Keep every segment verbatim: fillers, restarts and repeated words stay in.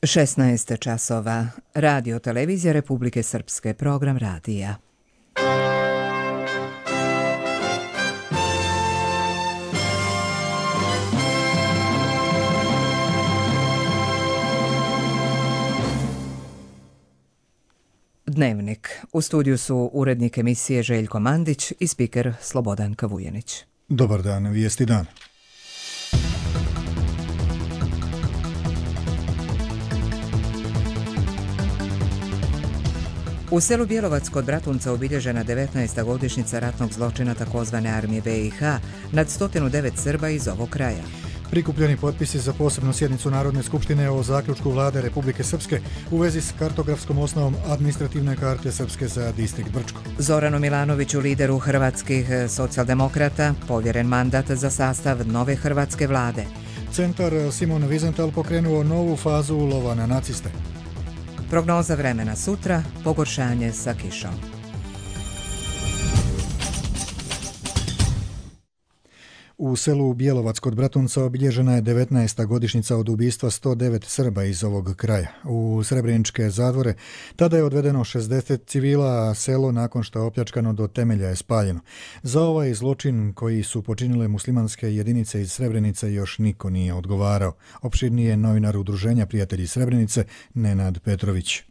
šesnaest časova. Radio Televizija Republike Srpske, program radija. Dnevnik. U studiju su urednik emisije Željko Mandić i spiker Slobodan Kavujanić. Dobar dan, vijesti dan. U selu Bjelovac kod Bratunca obilježena devetnaesta godišnjica ratnog zločina takozvane armije B i H nad sto devet Srba iz ovog kraja. Prikupljeni potpisi za posebnu sjednicu Narodne skupštine o zaključku vlade Republike Srpske u vezi s kartografskom osnovom administrativne karte Srpske za distrikt Brčko. Zoranu Milanoviću, lideru hrvatskih socijaldemokrata, povjeren mandat za sastav nove hrvatske vlade. Centar Simon Wiesenthal pokrenuo novu fazu lova na naciste. Prognoza vremena sutra, pogoršanje sa kišom. U selu Bjelovac kod Bratunca obilježena je devetnaesta godišnjica od ubistva sto devet Srba iz ovog kraja. U srebreničke zatvore tada je odvedeno šezdeset civila, a selo nakon što je opljačkano do temelja je spaljeno. Za ovaj zločin koji su počinile muslimanske jedinice iz Srebrenice još niko nije odgovarao. Opširnije novinar Udruženja prijatelji Srebrenice Nenad Petrović.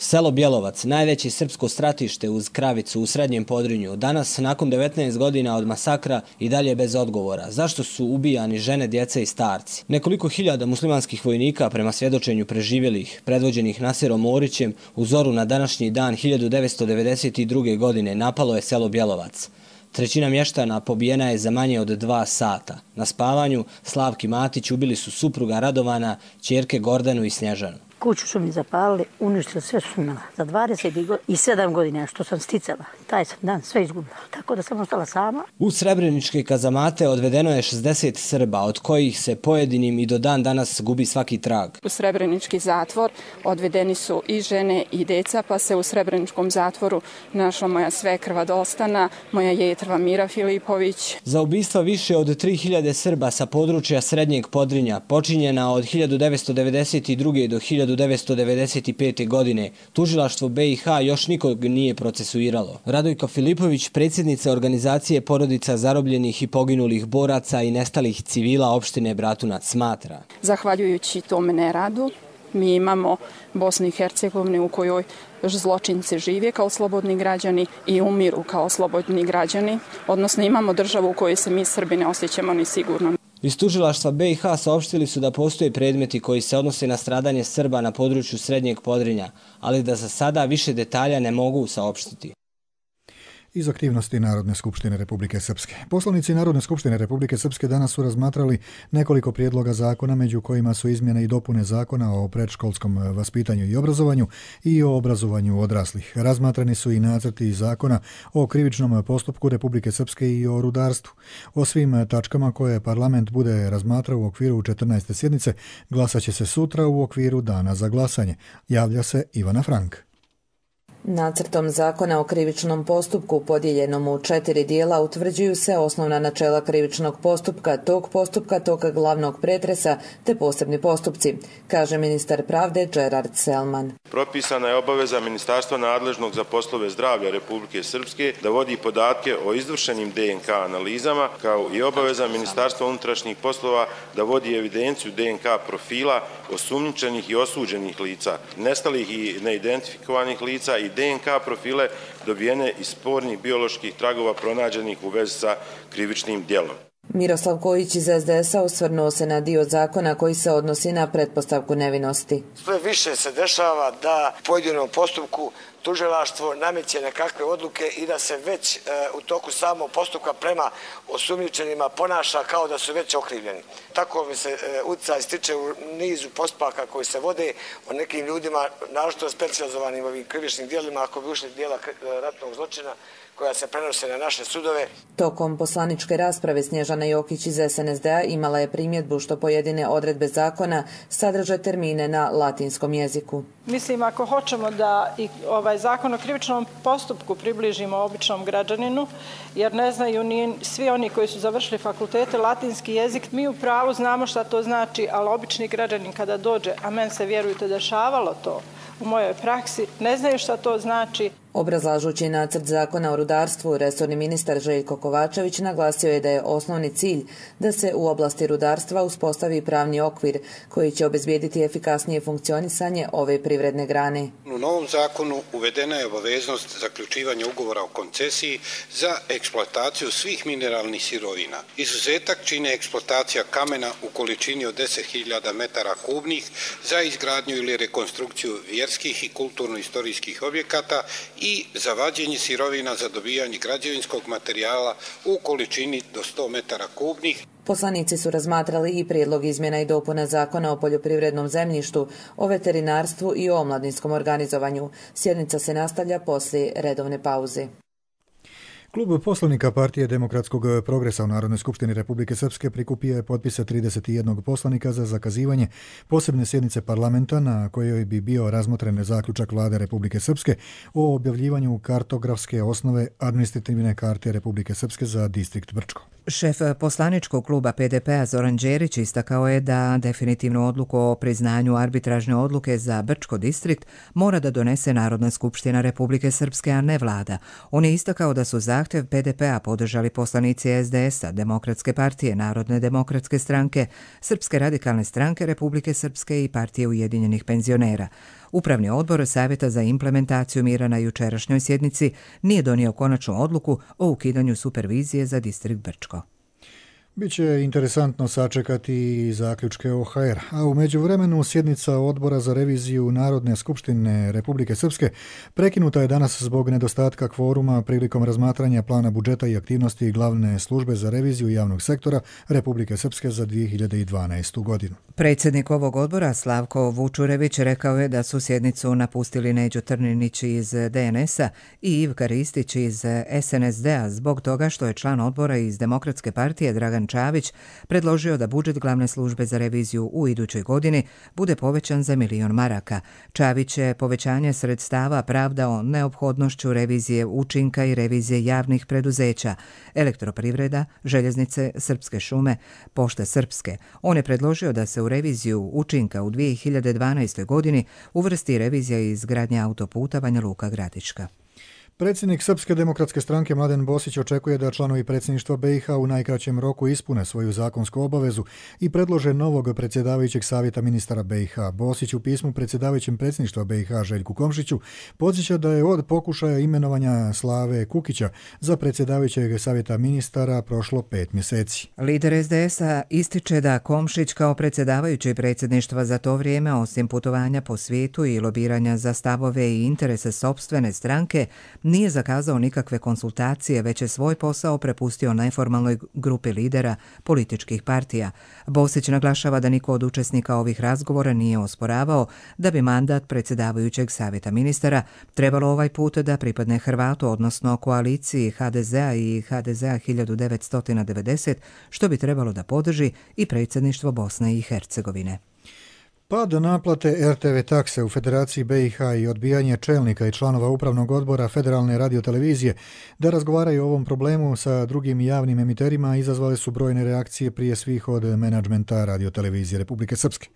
Selo Bjelovac, najveće srpsko stratište uz Kravicu u Srednjem Podrinju, danas, nakon devetnaest godina od masakra, i dalje bez odgovora. Zašto su ubijani žene, djeca i starci? Nekoliko hiljada muslimanskih vojnika, prema svjedočenju preživjelih, predvođenih Nasirom Orićem, u zoru na današnji dan hiljadu devetsto devedeset druge. godine napalo je selo Bjelovac. Trećina mještana pobijena je za manje od dva sata. Na spavanju Slavki Matić ubili su supruga Radovana, ćerke Gordanu i Snježanu. Kuću su mi zapalili, uništili sve što sam imala. Za dvadeset sedam godina što sam sticala, taj sam dan sve izgubila. Tako da sam ostala sama. U srebreničke kazamate odvedeno je šezdeset Srba, od kojih se pojedinim i do dan danas gubi svaki trag. U srebrenički zatvor odvedeni su i žene i deca, pa se u srebreničkom zatvoru našla moja svekrva Dostana, moja jetrva Mira Filipović. Za ubistva više od tri hiljade Srba sa područja Srednjeg Podrinja, počinjena od hiljadu devetsto devedeset druge. do hiljadu devetsto devedeset pete. godine, tužilaštvo B i H još nikog nije procesuiralo. Radojka Filipović, predsjednica organizacije porodica zarobljenih i poginulih boraca i nestalih civila opštine Bratunac, smatra. Zahvaljujući tome neradu, mi imamo Bosnu i Hercegovinu u kojoj zločinci žive kao slobodni građani i umiru kao slobodni građani, odnosno imamo državu u kojoj se mi Srbi ne osjećamo ni sigurno. Iz tužilaštva B i H saopštili su da postoje predmeti koji se odnose na stradanje Srba na području Srednjeg Podrinja, ali da za sada više detalja ne mogu saopštiti. Iz aktivnosti Narodne skupštine Republike Srpske. Poslanici Narodne skupštine Republike Srpske danas su razmatrali nekoliko prijedloga zakona, među kojima su izmjene i dopune zakona o predškolskom vaspitanju i obrazovanju i o obrazovanju odraslih. Razmatrani su i nacrti zakona o krivičnom postupku Republike Srpske i o rudarstvu. O svim tačkama koje parlament bude razmatrao u okviru četrnaeste sjednice glasat će se sutra u okviru dana za glasanje. Javlja se Ivana Frank. Nacrtom zakona o krivičnom postupku podijeljenom u četiri dijela utvrđuju se osnovna načela krivičnog postupka, tog postupka, tog glavnog pretresa te posebni postupci, kaže ministar pravde Gerard Selman. Propisana je obaveza ministarstva nadležnog za poslove zdravlja Republike Srpske da vodi podatke o izvršenim D N K analizama, kao i obaveza ministarstva unutrašnjih poslova da vodi evidenciju D N K profila osumnjičenih i osuđenih lica, nestalih i neidentifikovanih lica i D N K profile dobijene iz spornih bioloških tragova pronađenih u vezi sa krivičnim djelom. Miroslav Kojić iz S D S-a osvrnuo se na dio zakona koji se odnosi na pretpostavku nevinosti. Sve više se dešava da u pojedinom postupku tužilaštvo nameće nekakve odluke i da se već e, u toku samog postupka prema osumnjičenima ponaša kao da su već okrivljeni. Tako mi se e, utjecaj stiče u nizu postupaka koji se vode o nekim ljudima, naročito specijalizovanim ovim krivičnim djelima, ako bi ušli djela ratnog zločina, koja se prenose na naše sudove. Tokom poslaničke rasprave Snježana Jokić iz S N S D-a imala je primjedbu što pojedine odredbe zakona sadrže termine na latinskom jeziku. Mislim, ako hoćemo da i ovaj zakon o krivičnom postupku približimo običnom građaninu, jer ne znaju ni svi oni koji su završili fakultete latinski jezik, mi u pravu znamo šta to znači, ali obični građanin kada dođe, a meni se vjerujte dešavalo to u mojoj praksi, ne znaju šta to znači. Obrazlažući nacrt zakona o rudarstvu, resorni ministar Željko Kovačević naglasio je da je osnovni cilj da se u oblasti rudarstva uspostavi pravni okvir koji će obezbijediti efikasnije funkcionisanje ove privredne grane. U novom zakonu uvedena je obaveznost zaključivanja ugovora o koncesiji za eksploataciju svih mineralnih sirovina. Izuzetak čine eksploatacija kamena u količini od deset hiljada metara kubnih za izgradnju ili rekonstrukciju vjerskih i kulturno-istorijskih objekata i za vađenje sirovina za dobijanje građevinskog materijala u količini do sto metara kubnih. Poslanici su razmatrali i prijedlog izmjena i dopuna zakona o poljoprivrednom zemljištu, o veterinarstvu i o omladinskom organizovanju. Sjednica se nastavlja poslije redovne pauze. Klub poslanika Partije demokratskog progresa u Narodnoj skupštini Republike Srpske prikupio je potpise trideset jedan poslanika za zakazivanje posebne sjednice parlamenta na kojoj bi bio razmotren zaključak Vlade Republike Srpske o objavljivanju kartografske osnove administrativne karte Republike Srpske za distrikt Brčko. Šef poslaničkog kluba P D P-a Zoran Đerić istakao je da definitivnu odluku o priznanju arbitražne odluke za Brčko distrikt mora da donese Narodna skupština Republike Srpske, a ne vlada. On je istakao da su zahtjev P D P-a podržali poslanici S D S-a, Demokratske partije, Narodne demokratske stranke, Srpske radikalne stranke Republike Srpske i Partije ujedinjenih penzionera. Upravni odbor Savjeta za implementaciju mira na jučerašnjoj sjednici nije donio konačnu odluku o ukidanju supervizije za distrikt Brčko. Biće interesantno sačekati zaključke O H R, a u međuvremenu sjednica odbora za reviziju Narodne skupštine Republike Srpske prekinuta je danas zbog nedostatka kvoruma prilikom razmatranja plana budžeta i aktivnosti glavne službe za reviziju javnog sektora Republike Srpske za dvije hiljade dvanaestu. godinu. Predsjednik ovog odbora Slavko Vučurević rekao je da su sjednicu napustili Neđo Trninić iz D N S-a i Ivka Ristić iz S N S D-a zbog toga što je član odbora iz Demokratske partije Dragan Čavić predložio da budžet glavne službe za reviziju u idućoj godini bude povećan za milion maraka. Čavić je povećanje sredstava pravdao neophodnošću revizije učinka i revizije javnih preduzeća, Elektroprivreda, Željeznice, Srpske šume, Pošte Srpske. On je predložio da se u reviziju učinka u dvije hiljade dvanaestoj. godini uvrsti revizija izgradnje autoputa Banja Luka Gradiška. Predsjednik Srpske demokratske stranke Mladen Bosić očekuje da članovi predsjedništva B i H u najkraćem roku ispune svoju zakonsku obavezu i predlože novog predsjedavajućeg savjeta ministara B i H. Bosić u pismu predsjedavajućem predsjedništva B i H Željku Komšiću podsjeća da je od pokušaja imenovanja Slave Kukića za predsjedavajućeg savjeta ministara prošlo pet mjeseci. Lider S D S-a ističe da Komšić kao predsjedavajući predsjedništva za to vrijeme, osim putovanja po svijetu i lobiranja za stavove i interese sopstvene stranke, nije zakazao nikakve konsultacije, već je svoj posao prepustio neformalnoj grupi lidera političkih partija. Bosić naglašava da niko od učesnika ovih razgovora nije osporavao da bi mandat predsjedavajućeg savjeta ministara trebalo ovaj put da pripadne Hrvatu, odnosno koaliciji H D Z-a i H D Z-a hiljadu devetsto devedeset, što bi trebalo da podrži i predsjedništvo Bosne i Hercegovine. Pad naplate R T V takse u Federaciji B i H i odbijanje čelnika i članova upravnog odbora Federalne radiotelevizije da razgovaraju o ovom problemu sa drugim javnim emiterima izazvale su brojne reakcije, prije svih od menadžmenta radiotelevizije Republike Srpske.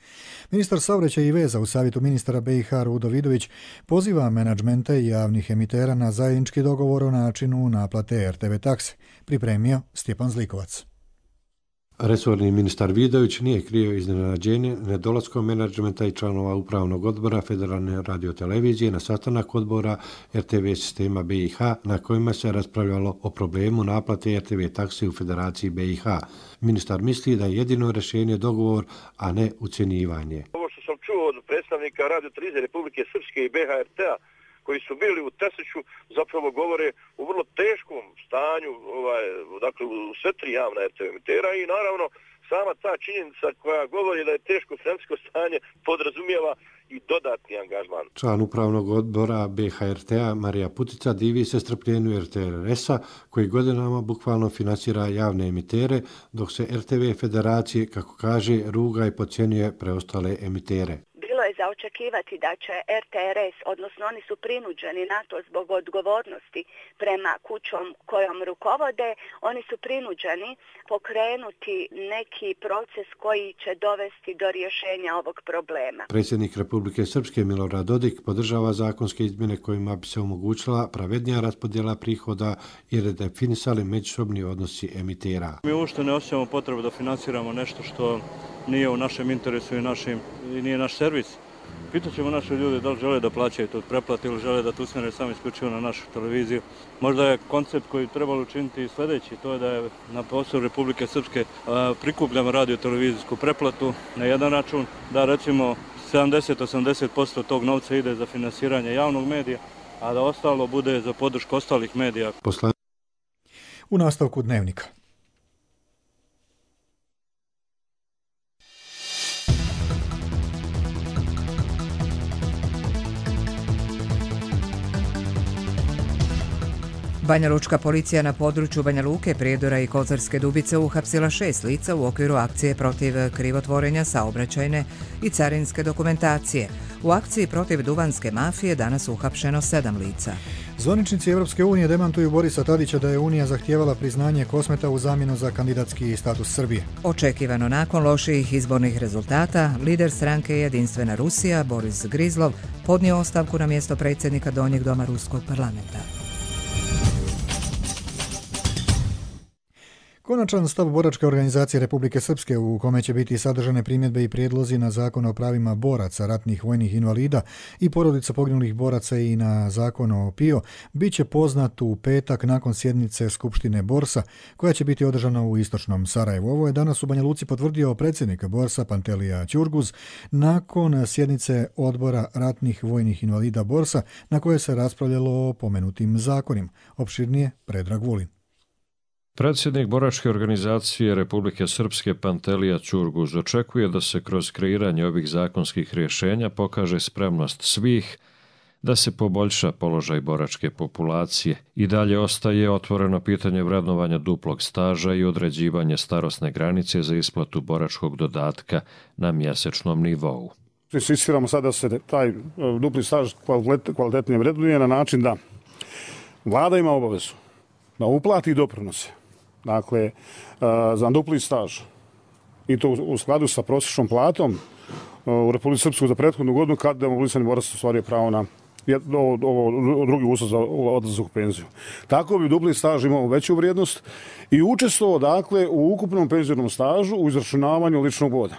Ministar saobraćaja i veza u savjetu ministara B i H Rudo Vidović poziva menadžmente javnih emitera na zajednički dogovor o načinu naplate R T V takse. Pripremio Stjepan Zlikovac. Resorni ministar Vidović nije krio iznenađenje nedolaskom menadžmenta i članova upravnog odbora Federalne radiotelevizije na sastanak odbora R T V sistema B i H na kojima se raspravljalo o problemu naplate R T V takse u Federaciji B i H. Ministar misli da je jedino rješenje dogovor, a ne ucjenjivanje. Ovo što sam čuo od predstavnika radiotelevizije Republike Srpske i B H R T-a koji su bili u Tesiću zapravo govore u vrlo teškom stanju, ovaj, dakle u sve tri javna R T V emitera i naravno sama ta činjenica koja govori da je teško financijsko stanje podrazumijeva i dodatni angažman. Član upravnog odbora B H R T-a Marija Putica divi se strpljenju R T R S-a koji godinama bukvalno finansira javne emitere, dok se R T V Federacije, kako kaže, ruga i podcjenjuje preostale emitere. Bilo je za očekivati da će R T R S, odnosno oni su prinuđeni na to zbog odgovornosti prema kućom kojom rukovode, oni su prinuđeni pokrenuti neki proces koji će dovesti do rješenja ovog problema. Predsjednik Republike Srpske Milorad Dodik podržava zakonske izmjene kojima bi se omogućila pravednija raspodjela prihoda i redefinisali međusobni odnosi emitera. Mi uopšte ne osjećamo potrebu da finansiramo nešto što nije u našem interesu i, našim, i nije naš servis. Pitat ćemo naše ljude da li žele da plaćaju to pretplatu ili žele da to usmjere samo isključivo na našu televiziju. Možda je koncept koji trebalo učiniti i sljedeći, to je da je na prostoru Republike Srpske prikupljamo radio-televizijsku pretplatu na jedan račun, da recimo sedamdeset do osamdeset posto tog novca ide za finansiranje javnog medija, a da ostalo bude za podršku ostalih medija. Posle... U nastavku Dnevnika. Banjalučka policija na području Banja Luke, Prijedora i Kozarske Dubice uhapsila šest lica u okviru akcije protiv krivotvorenja saobraćajne i carinske dokumentacije. U akciji protiv duvanske mafije danas uhapšeno sedam lica. Zvaničnici Evropske unije demantuju Borisa Tadića da je Unija zahtijevala priznanje Kosmeta u zamjenu za kandidatski status Srbije. Očekivano nakon loših izbornih rezultata, lider stranke Jedinstvena Rusija, Boris Grizlov, podnio ostavku na mjesto predsjednika Donjeg doma Ruskog parlamenta. Konačan stav Boračke organizacije Republike Srpske, u kome će biti sadržane primjedbe i prijedlozi na zakon o pravima boraca, ratnih vojnih invalida i porodica poginulih boraca i na zakon o P I O, bit će poznat u petak nakon sjednice Skupštine Borsa, koja će biti održana u istočnom Sarajevu. Ovo je danas u Banja Luci potvrdio predsjednik Borsa Pantelija Ćurguz nakon sjednice odbora ratnih vojnih invalida Borsa, na kojoj se raspravljalo o pomenutim zakonima. Opširnije Predrag Vulin. Predsjednik Boračke organizacije Republike Srpske Pantelija Ćurguz očekuje da se kroz kreiranje ovih zakonskih rješenja pokaže spremnost svih da se poboljša položaj boračke populacije. I dalje ostaje otvoreno pitanje vrednovanja duplog staža i određivanje starosne granice za isplatu boračkog dodatka na mjesečnom nivou. Insistiramo sada da se taj dupli staž kvalitetnije vrednuje na način da vlada ima obavezu da uplati doprinose. Dakle, za dupli staž i to u skladu sa prosječnom platom u Republici Srpskoj za prethodnu godinu kad demobilisani borac ostvario pravo na ovo drugi uslov za odlazak u penziju. Tako bi dupli staž imao veću vrijednost i učestvovao dakle u ukupnom penzionom stažu u izračunavanju ličnog boda.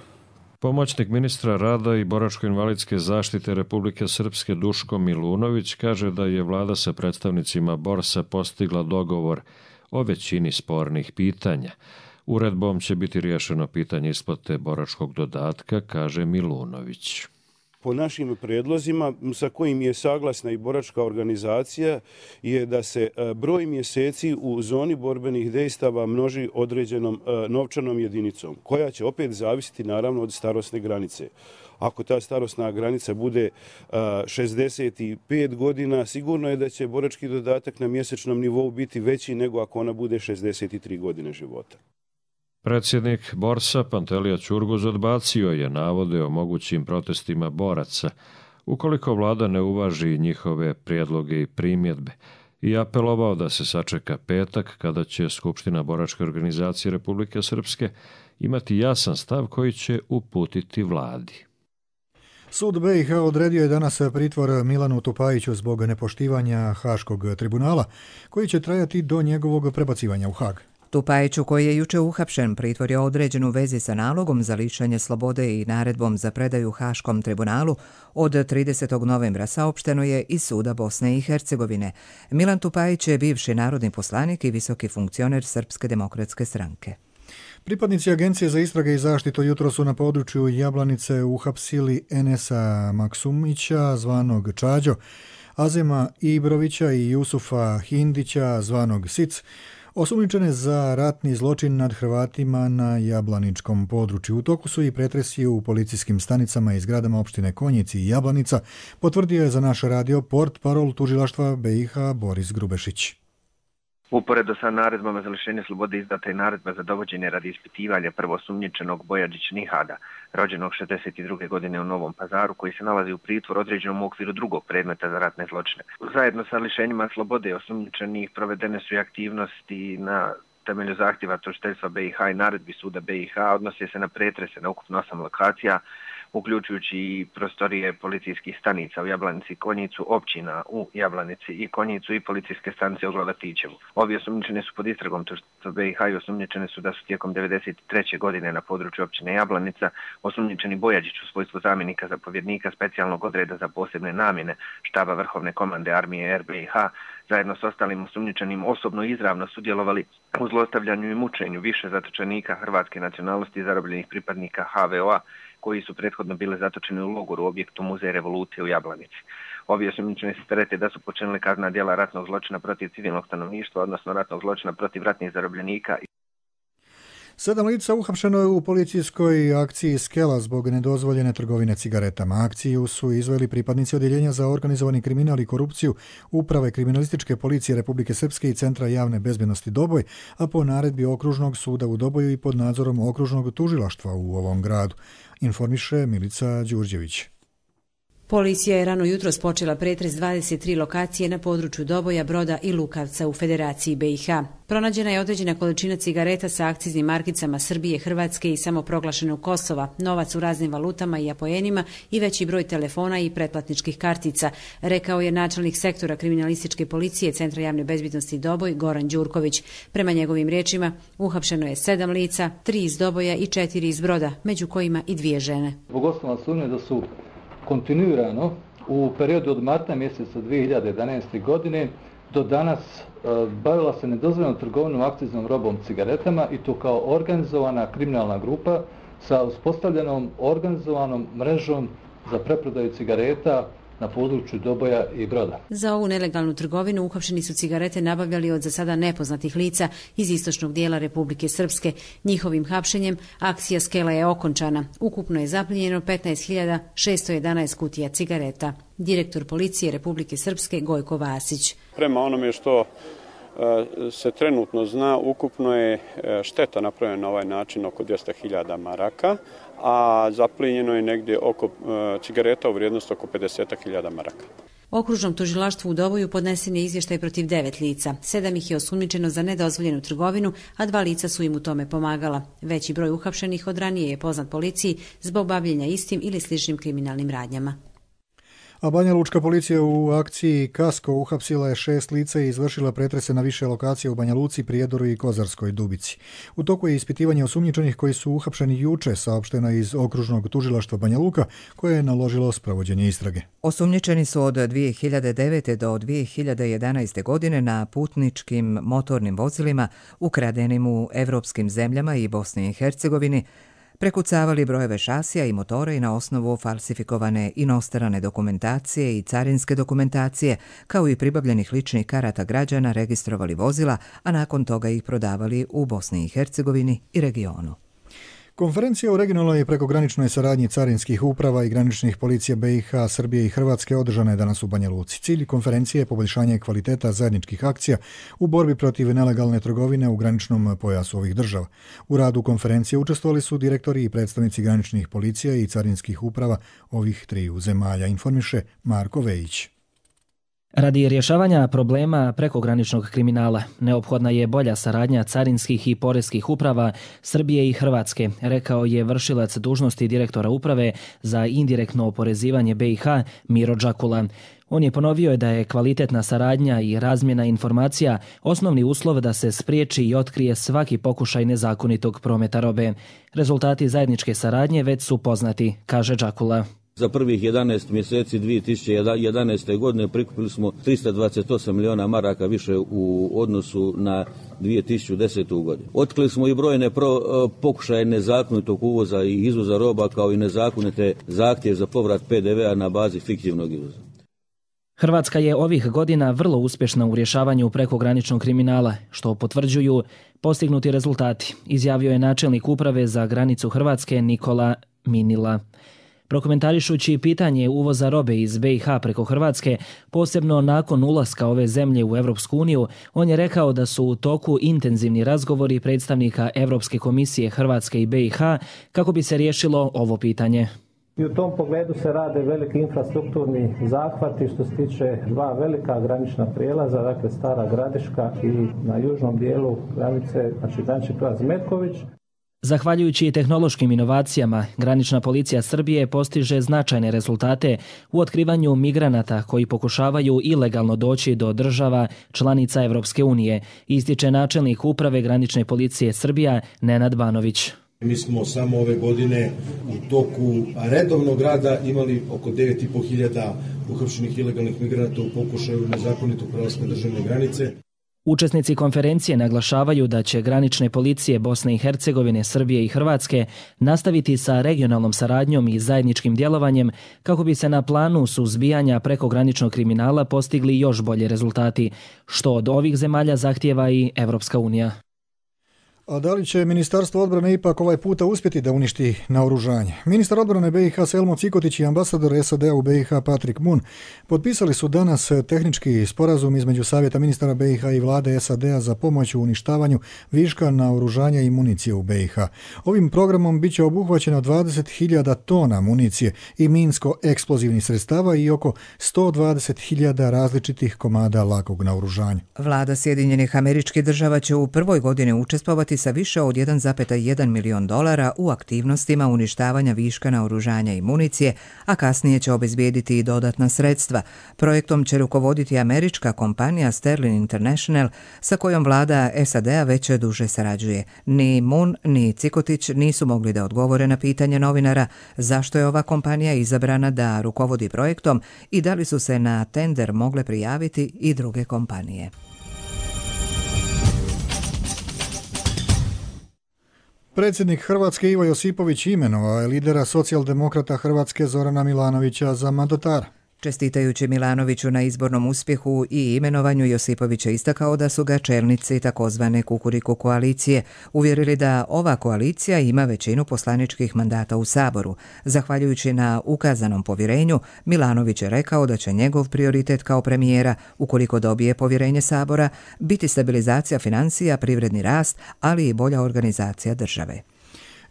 Pomoćnik ministra rada i boračko-invalidske zaštite Republike Srpske Duško Milunović kaže da je vlada sa predstavnicima Borsa postigla dogovor o većini spornih pitanja. Uredbom će biti riješeno pitanje isplate boračkog dodatka, kaže Milunović. Po našim predlozima, sa kojim je saglasna i boračka organizacija, je da se broj mjeseci u zoni borbenih dejstava množi određenom novčanom jedinicom, koja će opet zavisiti naravno od starosne granice. Ako ta starosna granica bude šezdeset pet godina, sigurno je da će borački dodatak na mjesečnom nivou biti veći nego ako ona bude šezdeset tri godine života. Predsjednik Borsa Pantelija Ćurguz odbacio je navode o mogućim protestima boraca, ukoliko vlada ne uvaži njihove prijedloge i primjedbe, i apelovao da se sačeka petak kada će Skupština Boračke organizacije Republike Srpske imati jasan stav koji će uputiti vladi. Sud B i H odredio je danas pritvor Milanu Tupajiću zbog nepoštivanja Haškog tribunala, koji će trajati do njegovog prebacivanja u Hag. Tupajiću, koji je juče uhapšen, pritvor je određen u vezi sa nalogom za lišenje slobode i naredbom za predaju Haškom tribunalu od tridesetog novembra, saopšteno je iz suda Bosne i Hercegovine. Milan Tupajić je bivši narodni poslanik i visoki funkcioner Srpske demokratske stranke. Pripadnici Agencije za istrage i zaštitu jutro su na području Jablanice uhapsili Enesa Maksumića, zvanog Čađo, Azema Ibrovića i Jusufa Hindića, zvanog Sic, Osumnjičene za ratni zločin nad Hrvatima na Jablaničkom području. U toku su i pretresi u policijskim stanicama i zgradama opštine Konjici i Jablanica, potvrdio je za naš radio portparol tužilaštva B i H Boris Grubešić. Uporedo sa naredbama za lišenje slobode izdata je naredba za dovođenje radi ispitivanja prvosumnjičenog Bojađić Nihada, rođenog šezdeset druge godine u Novom Pazaru, koji se nalazi u pritvoru određenom u okviru drugog predmeta za ratne zločine. Zajedno sa lišenjima slobode osumnjičenih provedene su i aktivnosti na temelju zahtjeva tužiteljstva B i H i naredbi suda B i H, odnose se na pretrese na ukupno osam lokacija, uključujući i prostorije policijskih stanica u Jablanici i Konjicu, općina u Jablanici i Konjicu i policijske stanice u Glavatićevu. Ovi osumnjičeni su pod istragom tužiteljstva B i H i osumnjičeni su da su tijekom devedeset treće godine na području općine Jablanica osumnjičeni Bojađić u svojstvu zamjenika zapovjednika specijalnog odreda za posebne namjene štaba Vrhovne komande armije R B i H zajedno s ostalim osumnjičenim osobno i izravno sudjelovali u zlostavljanju i mučenju više zatočenika hrvatske nacionalnosti i zarobljenih pripadnika H V O A koji su prethodno bili zatočeni u logoru u objektu Muzeja revolucije u Jablanici. Ovi osumnjičeni se terete da su počinili kaznena djela ratnog zločina protiv civilnog stanovništva, odnosno ratnog zločina protiv ratnih zarobljenika. Sedam lica uhapšeno je u policijskoj akciji Skela zbog nedozvoljene trgovine cigaretama. Akciju su izveli pripadnici Odjeljenja za organizovani kriminal i korupciju Uprave kriminalističke policije Republike Srpske i Centra javne bezbjednosti Doboj, a po naredbi Okružnog suda u Doboju i pod nadzorom Okružnog tužilaštva u ovom gradu, informiše Milica Đurđević. Policija je rano jutros počela pretres dvadeset tri lokacije na području Doboja, Broda i Lukavca u Federaciji B i H. Pronađena je određena količina cigareta sa akciznim markicama Srbije, Hrvatske i samoproglašenog Kosova, novac u raznim valutama i apoenima i veći broj telefona i pretplatničkih kartica, rekao je načelnik sektora kriminalističke policije Centra javne bezbjednosti Doboj Goran Đurković. Prema njegovim riječima, uhapšeno je sedam lica, tri iz Doboja i četiri iz Broda, među kojima i dvije žene. Zbog osnova sumnje da su kontinuirano u periodu od marta mjeseca dvije hiljade jedanaeste. godine do danas bavila se nedozvoljenom trgovinom akciznom robom cigaretama i to kao organizovana kriminalna grupa sa uspostavljenom organizovanom mrežom za preprodaju cigareta na području Doboja i Broda. Za ovu nelegalnu trgovinu uhapšeni su cigarete nabavljali od za sada nepoznatih lica iz istočnog dijela Republike Srpske. Njihovim hapšenjem akcija Skela je okončana. Ukupno je zaplijenjeno petnaest hiljada šesto jedanaest kutija cigareta. Direktor policije Republike Srpske Gojko Vasić. Prema onome što se trenutno zna, ukupno je šteta napravljena na ovaj način oko dvjesto hiljada maraka, a zaplijenjeno je negdje oko cigareta u vrijednosti oko pedeset hiljada maraka. Okružnom tužilaštvu u Doboju podnesen je izvještaj protiv devet lica. Sedam ih je osumnjičeno za nedozvoljenu trgovinu, a dva lica su im u tome pomagala. Veći broj uhapšenih od ranije je poznat policiji zbog bavljenja istim ili sličnim kriminalnim radnjama. A Banja Lučka policija u akciji Kasko uhapsila je šest lica i izvršila pretrese na više lokacija u Banja Luci, Prijedoru i Kozarskoj Dubici. U toku je ispitivanje osumnjičenih koji su uhapšeni juče, saopšteno iz Okružnog tužilaštva Banja Luka, koje je naložilo sprovođenje istrage. Osumnjičeni su od dvije hiljade devete. do dvije hiljade jedanaeste. godine na putničkim motornim vozilima ukradenim u evropskim zemljama i Bosni i Hercegovini prekucavali brojeve šasija i motora i na osnovu falsifikovane inostrane dokumentacije i carinske dokumentacije, kao i pribavljenih ličnih karata građana, registrovali vozila, a nakon toga ih prodavali u Bosni i Hercegovini i regionu. Konferencija o regionalnoj i prekograničnoj saradnji carinskih uprava i graničnih policija B i H, Srbije i Hrvatske održana je danas u Banja Luci. Cilj konferencije je poboljšanje kvaliteta zajedničkih akcija u borbi protiv nelegalne trgovine u graničnom pojasu ovih država. U radu konferencije učestvovali su direktori i predstavnici graničnih policija i carinskih uprava ovih triju zemalja, informiše Marko Vejić. Radi rješavanja problema prekograničnog kriminala neophodna je bolja saradnja carinskih i poreskih uprava Srbije i Hrvatske, rekao je vršilac dužnosti direktora uprave za indirektno oporezivanje B i H Miro Đakula. On je ponovio da je kvalitetna saradnja i razmjena informacija osnovni uslov da se spriječi i otkrije svaki pokušaj nezakonitog prometa robe. Rezultati zajedničke saradnje već su poznati, kaže Đakula. Za prvih jedanaest mjeseci dvije tisuće jedanaeste. godine prikupili smo tristo dvadeset osam milijuna maraka više u odnosu na dvije tisuće desetu. godinu. Otkrili smo i brojne pro, pokušaje nezakonitog uvoza i izvoza roba, kao i nezakonite zahtjeve za povrat P D V-a na bazi fiktivnog izvoza. Hrvatska je ovih godina vrlo uspješna u rješavanju prekograničnog kriminala, što potvrđuju postignuti rezultati, izjavio je načelnik uprave za granicu Hrvatske Nikola Minila. Prokomentarišući pitanje uvoza robe iz B i H preko Hrvatske, posebno nakon ulaska ove zemlje u Europsku uniju, on je rekao da su u toku intenzivni razgovori predstavnika Europske komisije Hrvatske i B i H kako bi se riješilo ovo pitanje. I u tom pogledu se rade veliki infrastrukturni zahvati što se tiče dva velika granična prijelaza, dakle Stara Gradiška i na južnom dijelu granice, znači granični prijelaz Metković. Zahvaljujući tehnološkim inovacijama, granična policija Srbije postiže značajne rezultate u otkrivanju migranata koji pokušavaju ilegalno doći do država članica Europske unije, ističe načelnik uprave granične policije Srbija Nenad Banović. Mi smo samo ove godine u toku redovnog rada imali oko devet i po hiljada uhapšenih ilegalnih migranata u pokušaju nezakonitog prelaska državne granice. Učesnici konferencije naglašavaju da će granične policije Bosne i Hercegovine, Srbije i Hrvatske nastaviti sa regionalnom saradnjom i zajedničkim djelovanjem kako bi se na planu suzbijanja prekograničnog kriminala postigli još bolje rezultati, što od ovih zemalja zahtijeva i Europska unija. A da li će Ministarstvo odbrane ipak ovaj puta uspjeti da uništi naoružanje? Ministar odbrane B i H Selmo Cikotić i ambasador S A D-a u B i H Patrick Moon potpisali su danas tehnički sporazum između Savjeta ministara B i H i vlade S A D-a za pomoć u uništavanju viška naoružanja i municije u B i H. Ovim programom bit će obuhvaćeno dvadeset hiljada tona municije i minsko-eksplozivnih sredstava i oko sto dvadeset hiljada različitih komada lakog naoružanja. Vlada Sjedinjenih Američkih Država će u prvoj godini učestvovati sa više od jedan zarez jedan milion dolara u aktivnostima uništavanja viška naoružanja i municije, a kasnije će obezbijediti i dodatna sredstva. Projektom će rukovoditi američka kompanija Sterling International, sa kojom vlada S A D-a već duže sarađuje. Ni Moon ni Cikotić nisu mogli da odgovore na pitanje novinara zašto je ova kompanija izabrana da rukovodi projektom i da li su se na tender mogle prijaviti i druge kompanije. Predsjednik Hrvatske Ivo Josipović imenovao je lidera socijaldemokrata Hrvatske Zorana Milanovića za mandatara. Čestitajući Milanoviću na izbornom uspjehu i imenovanju, Josipović je istakao da su ga čelnici takozvane Kukuriku koalicije uvjerili da ova koalicija ima većinu poslaničkih mandata u Saboru. Zahvaljujući na ukazanom povjerenju, Milanović je rekao da će njegov prioritet kao premijera, ukoliko dobije povjerenje Sabora, biti stabilizacija financija, privredni rast, ali i bolja organizacija države.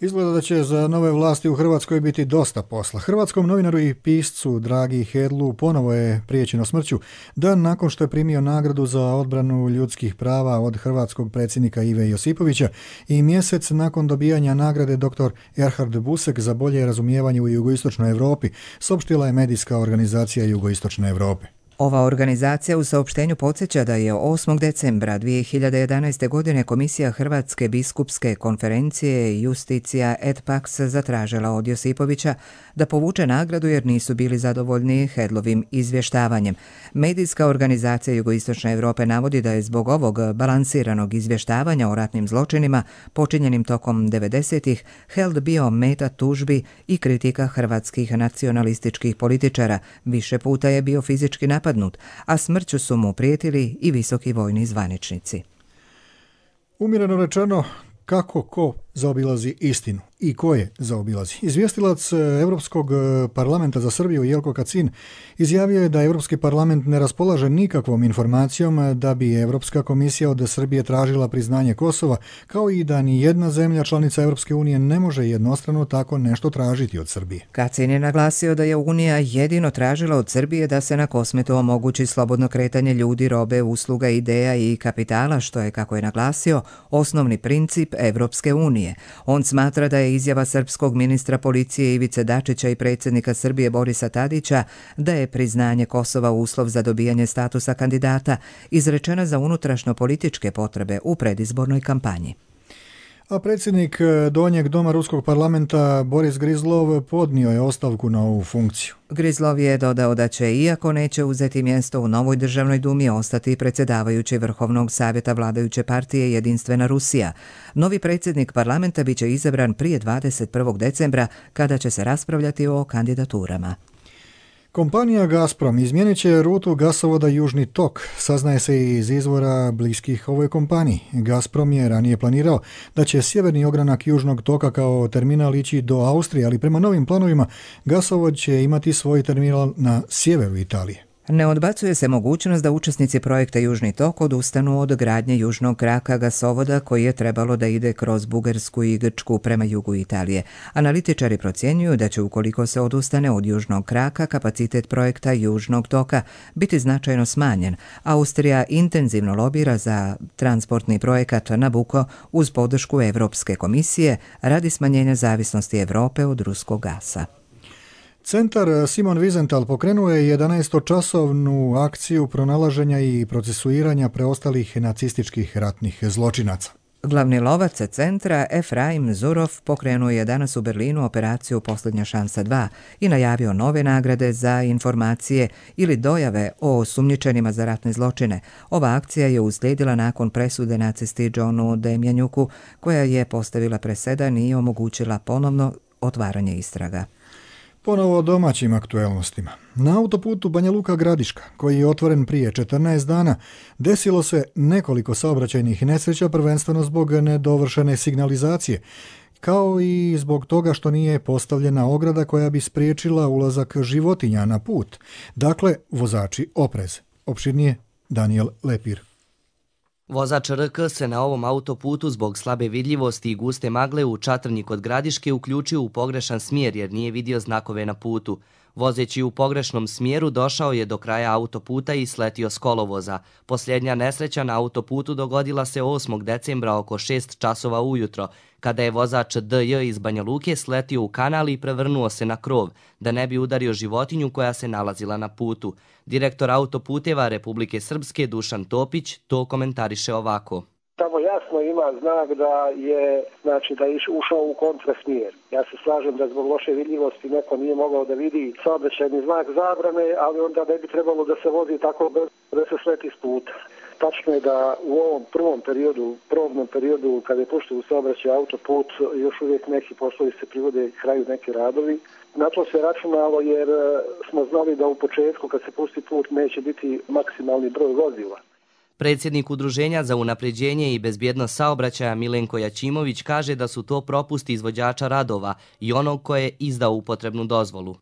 Izgleda da će za nove vlasti u Hrvatskoj biti dosta posla. Hrvatskom novinaru i piscu Dragi Hedlu ponovo je priječeno smrću dan nakon što je primio nagradu za odbranu ljudskih prava od hrvatskog predsjednika Ive Josipovića i mjesec nakon dobijanja nagrade doktor Erhard Busek za bolje razumijevanje u jugoistočnoj Europi, saopštila je medijska organizacija Jugoistočne Europe. Ova organizacija u saopštenju podsjeća da je osmog decembra dvije hiljade jedanaeste. godine Komisija Hrvatske biskupske konferencije Justicija et Pax zatražila od Josipovića da povuče nagradu jer nisu bili zadovoljni Hedlovim izvještavanjem. Medijska organizacija Jugoistočne Europe navodi da je zbog ovog balansiranog izvještavanja o ratnim zločinima počinjenim tokom devedesetih Held bio meta tužbi i kritika hrvatskih nacionalističkih političara. Više puta je bio fizički napadnut, a smrću su mu prijetili i visoki vojni zvaničnici. Umjereno rečeno, kako ko zaobilazi istinu i ko je zaobilazi. Izvjestilac Europskog parlamenta za Srbiju Jelko Kacin izjavio je da Europski parlament ne raspolaže nikakvom informacijom da bi Europska komisija od Srbije tražila priznanje Kosova, kao i da ni jedna zemlja članica Europske unije ne može jednostrano tako nešto tražiti od Srbije. Kacin je naglasio da je Unija jedino tražila od Srbije da se na Kosmetu omogući slobodno kretanje ljudi, robe, usluga, ideja i kapitala, što je, kako je naglasio, osnovni princip Europske unije. On smatra da je izjava srpskog ministra policije Ivice Dačića i predsjednika Srbije Borisa Tadića da je priznanje Kosova uslov za dobijanje statusa kandidata izrečena za unutrašnjo političke potrebe u predizbornoj kampanji. A predsjednik Donjeg doma Ruskog parlamenta Boris Grizlov podnio je ostavku na ovu funkciju. Grizlov je dodao da će, iako neće uzeti mjesto u novoj državnoj dumi, ostati predsjedavajući Vrhovnog savjeta vladajuće partije Jedinstvena Rusija. Novi predsjednik parlamenta biće izabran prije dvadeset prvog decembra, kada će se raspravljati o kandidaturama. Kompanija Gazprom izmijenit će rutu gasovoda Južni tok, saznaje se iz izvora bliskih ovoj kompaniji. Gazprom je ranije planirao da će sjeverni ogranak Južnog toka kao terminal ići do Austrije, ali prema novim planovima gasovod će imati svoj terminal na sjeveru Italije. Ne odbacuje se mogućnost da učesnici projekta Južni tok odustanu od gradnje južnog kraka gasovoda koji je trebalo da ide kroz Bugarsku i Grčku prema jugu Italije. Analitičari procjenjuju da će ukoliko se odustane od južnog kraka, kapacitet projekta Južnog toka biti značajno smanjen. Austrija intenzivno lobira za transportni projekat Nabucco uz podršku Evropske komisije radi smanjenja zavisnosti Evrope od ruskog gasa. Centar Simon Wiesenthal pokrenuo je jedanaestočasovnu akciju pronalaženja i procesuiranja preostalih nacističkih ratnih zločinaca. Glavni lovac centra Efraim Zurov pokrenuo je danas u Berlinu operaciju Posljednja šansa dva i najavio nove nagrade za informacije ili dojave o osumnjičenima za ratne zločine. Ova akcija je uslijedila nakon presude nacisti Johnu Demjanjuku, koja je postavila presedan i omogućila ponovno otvaranje istraga. Ponovo o domaćim aktuelnostima. Na autoputu Banja Luka Gradiška, koji je otvoren prije četrnaest dana, desilo se nekoliko saobraćajnih nesreća, prvenstveno zbog nedovršene signalizacije, kao i zbog toga što nije postavljena ograda koja bi spriječila ulazak životinja na put. Dakle, vozači oprez. Opširnije Daniel Lepir. Vozač R K se na ovom autoputu zbog slabe vidljivosti i guste magle u Čatrnji kod Gradiške uključio u pogrešan smjer jer nije vidio znakove na putu. Vozeći u pogrešnom smjeru došao je do kraja autoputa i sletio s kolovoza. Posljednja nesreća na autoputu dogodila se osmog decembra oko šest časova ujutro, kada je vozač D J iz Banja Luke sletio u kanal i prevrnuo se na krov, da ne bi udario životinju koja se nalazila na putu. Direktor autoputeva Republike Srpske Dušan Topić to komentariše ovako. Tamo jasno ima znak da je, znači da je ušao u kontrasmjer. Ja se slažem da zbog loše vidljivosti neko nije mogao da vidi saobraćajni znak zabrane, ali onda ne bi trebalo da se vozi tako da se sleti s puta. Tačno je da u ovom prvom periodu, probnom periodu, kada je pušten u saobraćaj autoput, još uvijek neki poslovi se privode kraju, neki radovi. Na to se računalo jer smo znali da u početku kad se pusti put neće biti maksimalni broj vozila. Predsjednik Udruženja za unapređenje i bezbjednost saobraćaja Milenko Jačimović kaže da su to propusti izvođača radova i onog koje je izdao upotrebnu dozvolu.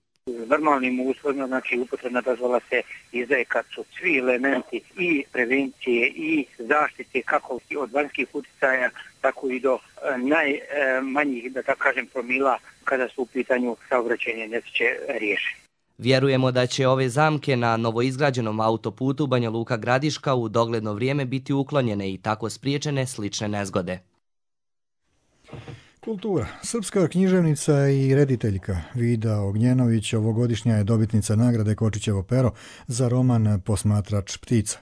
Normalnim uslovima, znači upotrebna dozvola se izdaje kad su svi elementi i prevencije i zaštite kako od vanjskih utjecaja, tako i do najmanjih, da tako kažem, promila kada su u pitanju saobraćajne nesreće riješene. Vjerujemo da će ove zamke na novoizgrađenom autoputu Banja Luka Gradiška u dogledno vrijeme biti uklonjene i tako spriječene slične nezgode. Kultura. Srpska književnica i rediteljka Vida Ognjenović ovogodišnja je dobitnica nagrade Kočićevo pero za roman Posmatrač ptica.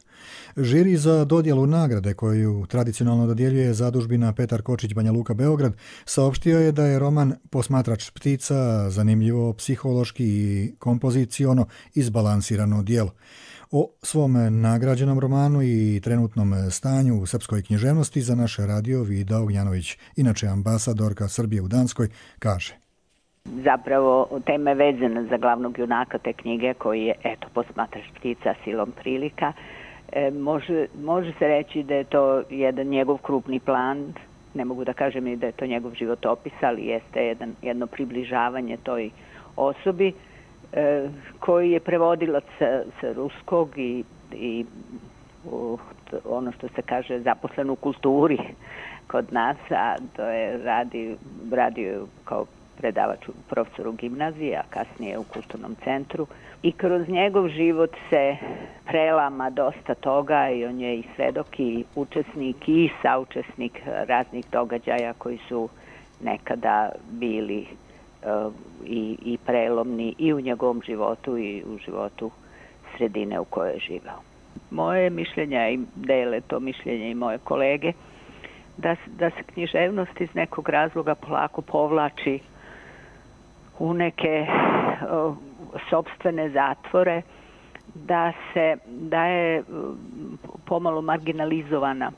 Žiri za dodjelu nagrade koju tradicionalno dodjeljuje zadužbina Petar Kočić Banja Luka Beograd saopštio je da je roman Posmatrač ptica zanimljivo psihološki i kompoziciono izbalansirano djelo. O svom nagrađenom romanu i trenutnom stanju u srpskoj književnosti za naš radio Vida Ognjanović, inače ambasadorka Srbije u Danskoj, kaže. Zapravo tema je vezana za glavnog junaka te knjige koji je, eto, Posmatrač ptica silom prilika. E, može, može se reći da je to jedan njegov krupni plan, ne mogu da kažem i da je to njegov životopis, ali jeste jedan, jedno približavanje toj osobi e, koji je prevodilac sa, sa ruskog i, i u, ono što se kaže zaposlen u kulturi kod nas, a to je radi, radio kao predavač u profesoru gimnazije, a kasnije u kulturnom centru. I kroz njegov život se prelama dosta toga i on je i svedok i učesnik i saučesnik raznih događaja koji su nekada bili uh, i, i prelomni i u njegovom životu i u životu sredine u kojoj je živao. Moje mišljenja i dele to mišljenje i moje kolege da, da se književnost iz nekog razloga polako povlači u neke uh, sopstvene zatvore, da se da je pomalo marginalizovana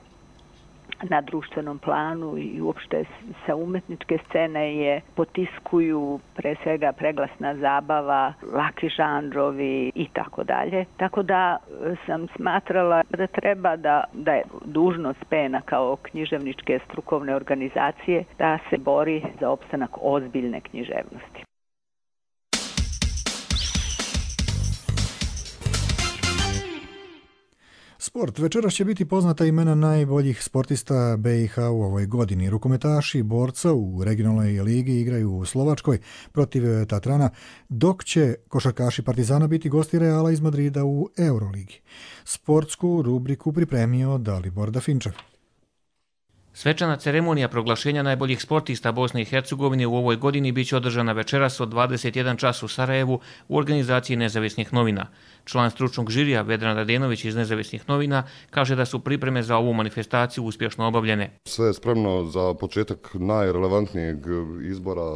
na društvenom planu i uopšte sa umetničke scene je potiskuju pre svega preglasna zabava, laki žanrovi i tako dalje. Tako da sam smatrala da treba da, da je dužnost Pena kao književničke strukovne organizacije da se bori za opstanak ozbiljne književnosti. Sport. Večeras će biti poznata imena najboljih sportista B i H u ovoj godini. Rukometaši borca u regionalnoj ligi igraju u Slovačkoj protiv Tatrana, dok će košarkaši Partizana biti gosti Reala iz Madrida u Euroligi. Sportsku rubriku pripremio Dalibor Dafinčev. Svečana ceremonija proglašenja najboljih sportista Bosne i Hercegovine u ovoj godini biće održana večeras od dvadeset jedan čas u Sarajevu u organizaciji Nezavisnih novina. Član stručnog žirija Vedran Radenović iz Nezavisnih novina kaže da su pripreme za ovu manifestaciju uspješno obavljene. Sve je spremno za početak najrelevantnijeg izbora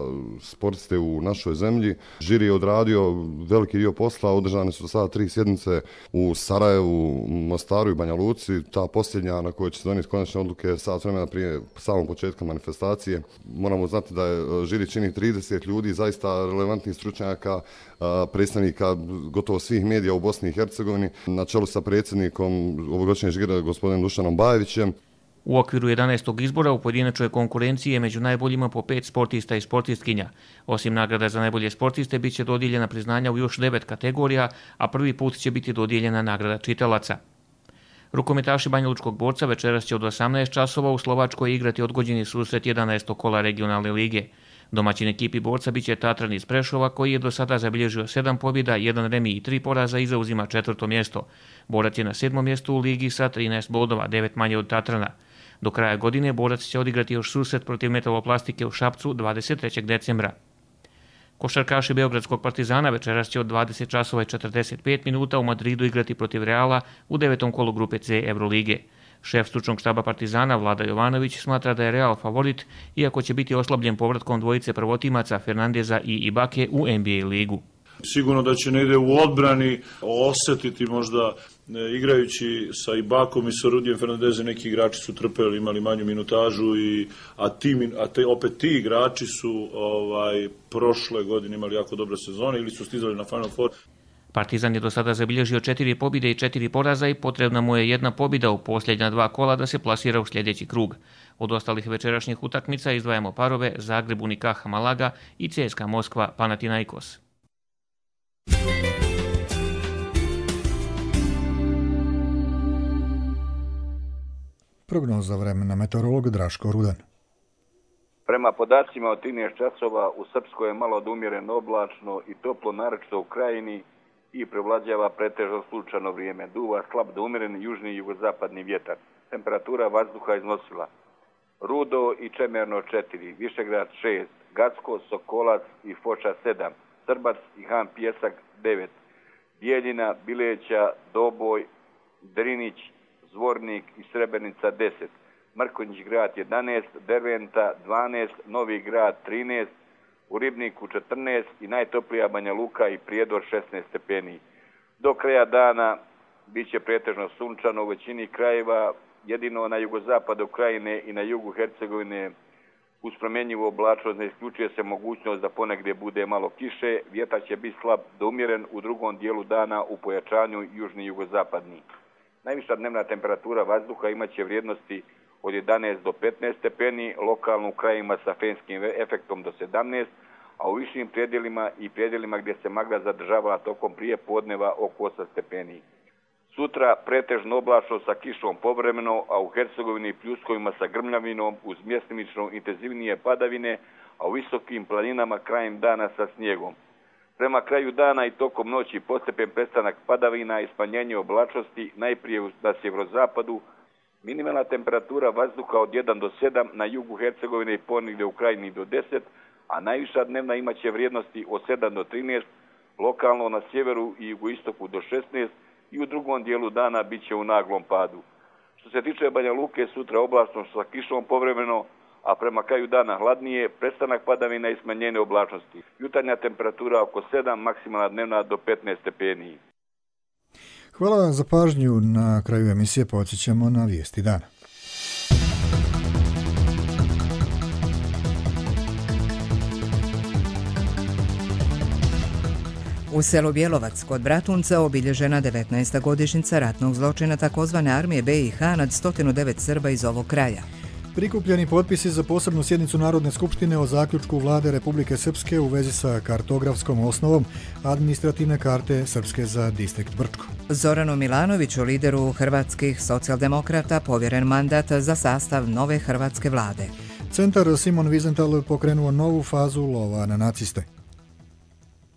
sportiste u našoj zemlji. Žiri je odradio veliki dio posla, održane su sada tri sjednice u Sarajevu, Mostaru i Banja Luci. Ta posljednja na kojoj će se donijeti konačne odluke sat vremena prije samog početka manifestacije. Moramo znati da je žiri čini trideset ljudi, zaista relevantnih stručnjaka, predstavnika gotovo svih medija u Bosni i Hercegovini, na čelu sa predsjednikom ovogodišnjeg žira gospodinom Dušanom Bajevićem. U okviru jedanaestog izbora u pojedinačnoj konkurenciji je među najboljima po pet sportista i sportistkinja. Osim nagrada za najbolje sportiste, bit će dodijeljena priznanja u još devet kategorija, a prvi put će biti dodijeljena nagrada čitalaca. Rukometaši Banjalučkog borca večeras će od osamnaest časova u Slovačkoj igrati odgođeni susret jedanaestog kola regionalne lige. Domaćin ekipi borca biće Tatran iz Prešova koji je do sada zabilježio sedam pobjeda, jedan remi i tri poraza i zauzima četvrto mjesto. Borac je na sedmom mjestu u ligi sa trinaest bodova, devet manje od Tatrana. Do kraja godine borac će odigrati još susret protiv Metaloplastike u Šapcu dvadeset trećeg decembra. Košarkaši Beogradskog Partizana večeras će od dvadeset časova i četrdeset pet minuta u Madridu igrati protiv Reala u devetom kolu grupe C Eurolige. Šef stručnog štaba Partizana Vlada Jovanović smatra da je Real favorit, iako će biti oslabljen povratkom dvojice prvotimaca Fernandeza i Ibake u N B A ligu. Sigurno da će negdje u odbrani osjetiti možda igrajući sa Ibakom i sa Rudijem Fernandezem, neki igrači su trpeli, imali manju minutažu, i, a, ti, a te, opet ti igrači su ovaj, prošle godine imali jako dobre sezone ili su stizali na Final Four. Partizan je do sada zabilježio četiri pobjede i četiri poraza i potrebna mu je jedna pobjeda u posljednja dva kola da se plasira u sljedeći krug. Od ostalih večerašnjih utakmica izdvajamo parove Zagreb Unicaja Malaga i C S K A Moskva Panathinaikos. Prognoza vremena, meteorolog Draško Rudan. Prema podacima od trinaest časova u Srpskoj je malo odumjereno oblačno i toplo, naročito u Krajini, i prevlađava pretežno sunčano vrijeme. Duva slab do umjeren južni i jugozapadni vjetar. Temperatura vazduha iznosila Rudo i Čemerno četiri, Višegrad šest, Gacko, Sokolac i Foča sedam, Srbac i Han Pjesak devet, Bijeljina, Bileća, Doboj, Drinić, Zvornik i Srebrenica deset, Mrkonjić grad jedanaest, Derventa dvanaest, Novi grad trinaest, u Ribniku četrnaest i najtoplija Banja Luka i Prijedor šesnaest stepeni. Do kraja dana bit će pretežno sunčano u većini krajeva, jedino na jugozapadu Krajine i na jugu Hercegovine uz promjenjivu oblačnost ne isključuje se mogućnost da ponegdje bude malo kiše, vjetar će biti slab do umjeren u drugom dijelu dana u pojačanju južni i jugozapadni. Najviša dnevna temperatura vazduha imat će vrijednosti od jedanaest do petnaest stepeni, lokalno u krajima sa fenskim efektom do sedamnaest, a u višim predjelima i predjelima gdje se magla zadržava tokom prije podneva oko osam stepeni. Sutra pretežno oblačno sa kišom povremeno, a u Hercegovini i pljuskovima sa grmljavinom uz mjestimično intenzivnije padavine, a u visokim planinama krajem dana sa snijegom. Prema kraju dana i tokom noći postepen prestanak padavina i smanjenje oblačnosti, najprije na sjeverozapadu, minimalna temperatura vazduha od jedan do sedam, na jugu Hercegovine i ponegdje u Krajini do deset, a najviša dnevna imaće vrijednosti od sedam do trinaest, lokalno na sjeveru i jugoistoku do šesnaest i u drugom dijelu dana bit će u naglom padu. Što se tiče Banja Luke, sutra oblačno sa kišom povremeno, a prema kraju dana hladnije, prestanak padavina i smanjenje oblačnosti. Jutarnja temperatura oko sedam, maksimalna dnevna do petnaest stepeni. Hvala za pažnju. Na kraju emisije podsjećamo na vijesti dana. U selu Bjelovac kod Bratunca obilježena devetnaesta godišnjica ratnog zločina takozvane armije B i H nad sto devet Srba iz ovog kraja. Prikupljeni potpisi za posebnu sjednicu Narodne skupštine o zaključku vlade Republike Srpske u vezi sa kartografskom osnovom administrativne karte Srpske za distrikt Brčko. Zoranu Milanoviću, lideru hrvatskih socijaldemokrata, povjeren mandat za sastav nove hrvatske vlade. Centar Simon Wiesenthal pokrenuo novu fazu lova na naciste.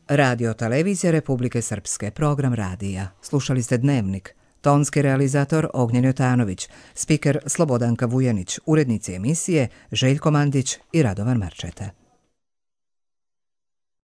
Radio Televizija Republike Srpske, program radija. Slušali ste Dnevnik. Tonski realizator Ognjen Jotanović, spiker Slobodanka Vujanić, urednici emisije Željko Mandić i Radovan Marčeta.